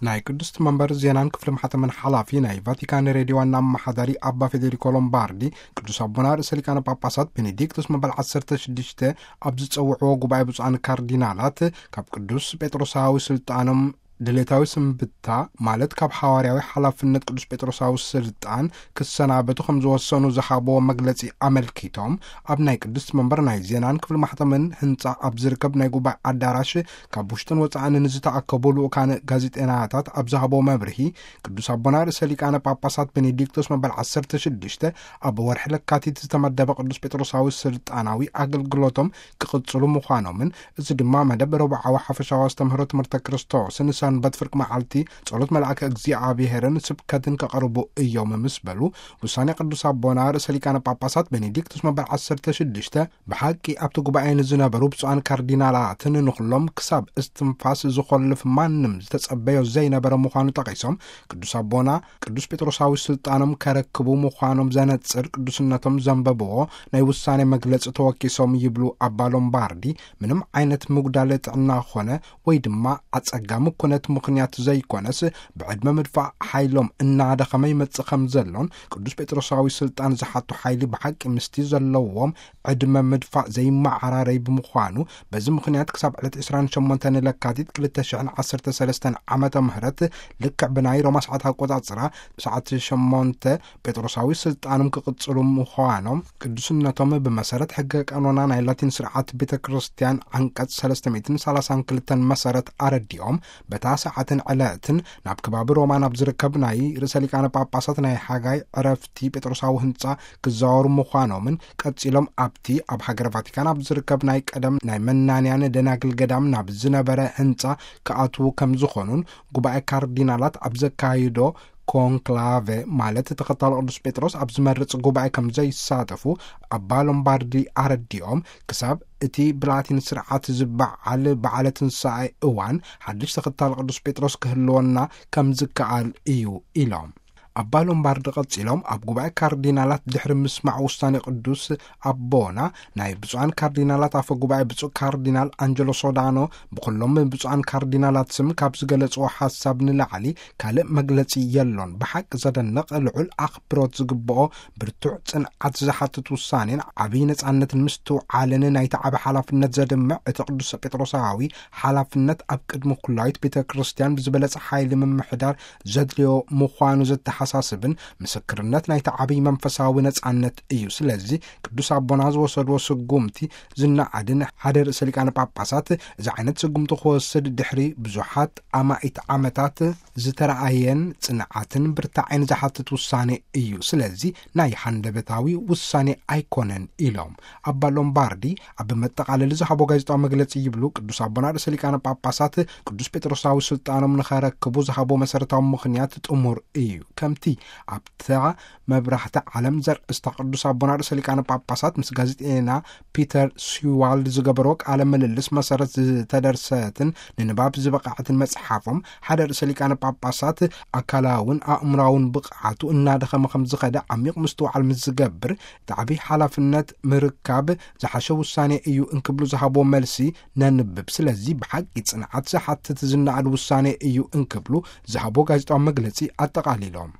ናይ ቅድስት መንበር ዜናን ክፍሊ ማሕተምን ሓላፊ ናይ ቫቲካን ሬድዮ ዋና ኣመሓዳሪ ኣባ ፌዴሪኮ ሎምባርዲ፣ ቅዱስ ኣቦና ርእሰ ሊቃነ ጳጳሳት ቤኔዲክቶስ መበል ዓሰርተ ሽዱሽተ ኣብ ዝጸውዕዎ ጉባኤ ብፁዓን ካርዲናላት፣ ካብ ቅዱስ ጴጥሮሳዊ ስልጣኖም ድሌታዊ ስንብታ፣ ማለት ካብ ሓዋርያዊ ሓላፍነት ቅዱስ ጴጥሮሳዊ ስልጣን ክሰናበቱ ከም ዝወሰኑ ዝሃብዎ መግለጺ ኣመልኪቶም፣ ኣብ ናይ ቅድስት መንበር ናይ ዜናን ክፍሊ ማሕተምን ህንጻ ኣብ ዝርከብ ናይ ጉባኤ ኣዳራሽ ካብ ውሽጥን ወጻእን ንዝተኣከቡ ልኡካን ጋዜጠናታት ኣብ ዝሃብዎ መብርሂ፣ ቅዱስ ኣቦና ርእሰ ሊቃነ ጳጳሳት ቤኔዲክቶስ መበል ዓሰርተ ሽዱሽተ ኣብ ወርሒ ለካቲት ዝተመደበ ቅዱስ ጴጥሮሳዊ ስልጣናዊ ኣገልግሎቶም ክቕጽሉ ምዃኖምን፣ እዚ ድማ መደብ ረቡዓዊ ሓፈሻዊ ኣስተምህሮ ትምህርተ ክርስቶስን ሰንበት ፍርቂ መዓልቲ ጸሎት መልኣከ እግዚኣብሔርን ስብከትን ከቕርቡ እዮም ምስ በሉ፣ ውሳኔ ቅዱስ ኣቦና ርእሰ ሊቃነ ጳጳሳት ቤኔዲክቶስ መበል ዓሰርተ ሽዱሽተ ብሓቂ ኣብቲ ጉባኤ ንዝነበሩ ብፁዓን ካርዲናላትን ንኹሎም ክሳብ እስትንፋስ ዝኾልፍ ማንም ዝተጸበዮ ዘይነበረ ምዃኑ ጠቒሶም፣ ቅዱስ ኣቦና ቅዱስ ጴጥሮሳዊ ስልጣኖም ከረክቡ ምዃኖም ዘነጽር ቅዱስነቶም ዘንበብዎ ናይ ውሳኔ መግለጺ ተወኪሶም ይብሉ ኣባ ሎምባርዲ፣ ምንም ዓይነት ምጉዳል ጥዕና ኾነ ወይ ድማ ኣጸጋሚ ኩነት ምኽንያት ዘይኮነስ፣ ብዕድመ ምድፋእ ሓይሎም እናደኸመ ይመጽእ ከም ዘሎን፣ ቅዱስ ጴጥሮሳዊ ስልጣን ዝሓቱ ሓይሊ ብሓቂ ምስቲ ዘለዎም ዕድመ ምድፋእ ዘይመዓራረይ ብምዃኑ፣ በዚ ምኽንያት ክሳብ ዕለት ዕስራን ሸሞንተን ለካቲት ክልተ ሽሕን ዓሰርተ ሰለስተን ዓመተ ምህረት፣ ልክዕ ብናይ ሮማ ሰዓት ኣቆጻጽራ ሰዓት ሸሞንተ ጴጥሮሳዊ ስልጣኖም ክቕጽሉ ምዃኖም፣ ቅዱስነቶም ብመሰረት ሕገ ቀኖና ናይ ላቲን ስርዓት ቤተ ክርስቲያን ዓንቀጽ ሰለስተ ሚእትን ሰላሳን ክልተን መሰረት ኣረዲኦም፣ በታ ሰዓትን ዕለትን ናብ ከባቢ ሮማ ናብ ዝርከብ ናይ ርእሰ ሊቃነ ጳጳሳት ናይ ሓጋይ ዕረፍቲ ጴጥሮሳዊ ህንጻ ክዘዋወሩ ምዃኖምን፣ ቀጺሎም ኣብቲ ኣብ ሃገረ ቫቲካን ኣብ ዝርከብ ናይ ቀደም ናይ መናንያን ደናግል ገዳም ናብ ዝነበረ ህንጻ ክኣትዉ ከም ዝኾኑን፣ ጉባኤ ካርዲናላት ኣብ ዘካይዶ ኮንክላቨ፣ ማለት ተኸታሊ ቅዱስ ጴጥሮስ ኣብ ዝመርጽ ጉባኤ ከም ዘይሳተፉ ኣባ ሎምባርዲ ኣረዲኦም፣ ክሳብ እቲ ብላቲን ስርዓት ዝበዓል በዓለ ትንሳኤ እዋን ሓድሽ ተኸታሊ ቅዱስ ጴጥሮስ ክህልወና ከም ዝከኣል እዩ ኢሎም። ኣባ ሎምባርዲ ቀጺሎም፣ ኣብ ጉባኤ ካርዲናላት ድሕሪ ምስማዕ ውሳኔ ቅዱስ ኣቦና፣ ናይ ብፁዓን ካርዲናላት ኣፈ ጉባኤ ብፁዕ ካርዲናል ኣንጀሎ ሶዳኖ ብኩሎም ብፁዓን ካርዲናላት ስም ካብ ዝገለጽዎ ሓሳብ ንላዕሊ ካልእ መግለጺ የሎን። ብሓቂ ዘደንቕ፣ ልዑል ኣኽብሮት ዝግብኦ፣ ብርቱዕ ጽንዓት ዝሓትት ውሳኔን ዓብይ ነጻነትን ምስትውዓልን ናይቲ ዓቢ ሓላፍነት ዘድምዕ፣ እቲ ቅዱስ ጴጥሮሳዊ ሓላፍነት ኣብ ቅድሚ ኩላዊት ቤተ ክርስቲያን ብዝበለጸ ሓይሊ ምምሕዳር ዘድልዮ ምዃኑ ዘተሓሳስብን ምስክርነት ናይቲ ዓብይ መንፈሳዊ ነጻነት እዩ። ስለዚ ቅዱስ ኣቦና ዝወሰድዎ ስጉምቲ ዝነኣድን፣ ሓደ ርእሰ ሊቃነ ጳጳሳት እዚ ዓይነት ስጉምቲ ክወስድ ድሕሪ ብዙሓት ኣማኢት ዓመታት ዝተረኣየን ጽንዓትን ብርታዕን ዝሓትት ውሳኔ እዩ። ስለዚ ናይ ሃንደበታዊ ውሳኔ ኣይኮነን ኢሎም። ኣባ ሎምባርዲ ኣብ መጠቓለሊ ዝሃቦ ጋዜጣዊ መግለጺ ይብሉ፣ ቅዱስ ኣቦና ርእሰ ሊቃነ ጳጳሳት ቅዱስ ጴጥሮሳዊ ስልጣኖም ንኸረክቡ ዝሃቦ መሰረታዊ ምኽንያት ጥሙር እዩ። ከምቲ ኣብታ መብራህቲ ዓለም ዘርእስታ ቅዱስ ኣቦና ርእሰ ሊቃነ ጳጳሳት ምስ ጋዜጠኛ ፒተር ስዋልድ ዝገበሮ ቃለ ምልልስ መሰረት ዝተደርሰትን ንንባብ ዝበቃዕትን መጽሓፎም፣ ሓደ ርእሰ ሊቃነ ጳጳሳት ኣካላውን ኣእምራውን ብቕዓቱ እናደኸመ ከም ዝኸደ ዓሚቕ ምስትውዓል ምስ ዝገብር፣ እቲ ዓብይ ሓላፍነት ምርካብ ዝሓሸ ውሳኔ እዩ እንክብሉ ዝሃቦ መልሲ ነንብብ። ስለዚ ብሓቂ ጽንዓት ዝሓትት ዝነኣድ ውሳኔ እዩ እንክብሉ ዝሃቦ ጋዜጣዊ መግለጺ ኣጠቓሊሎም።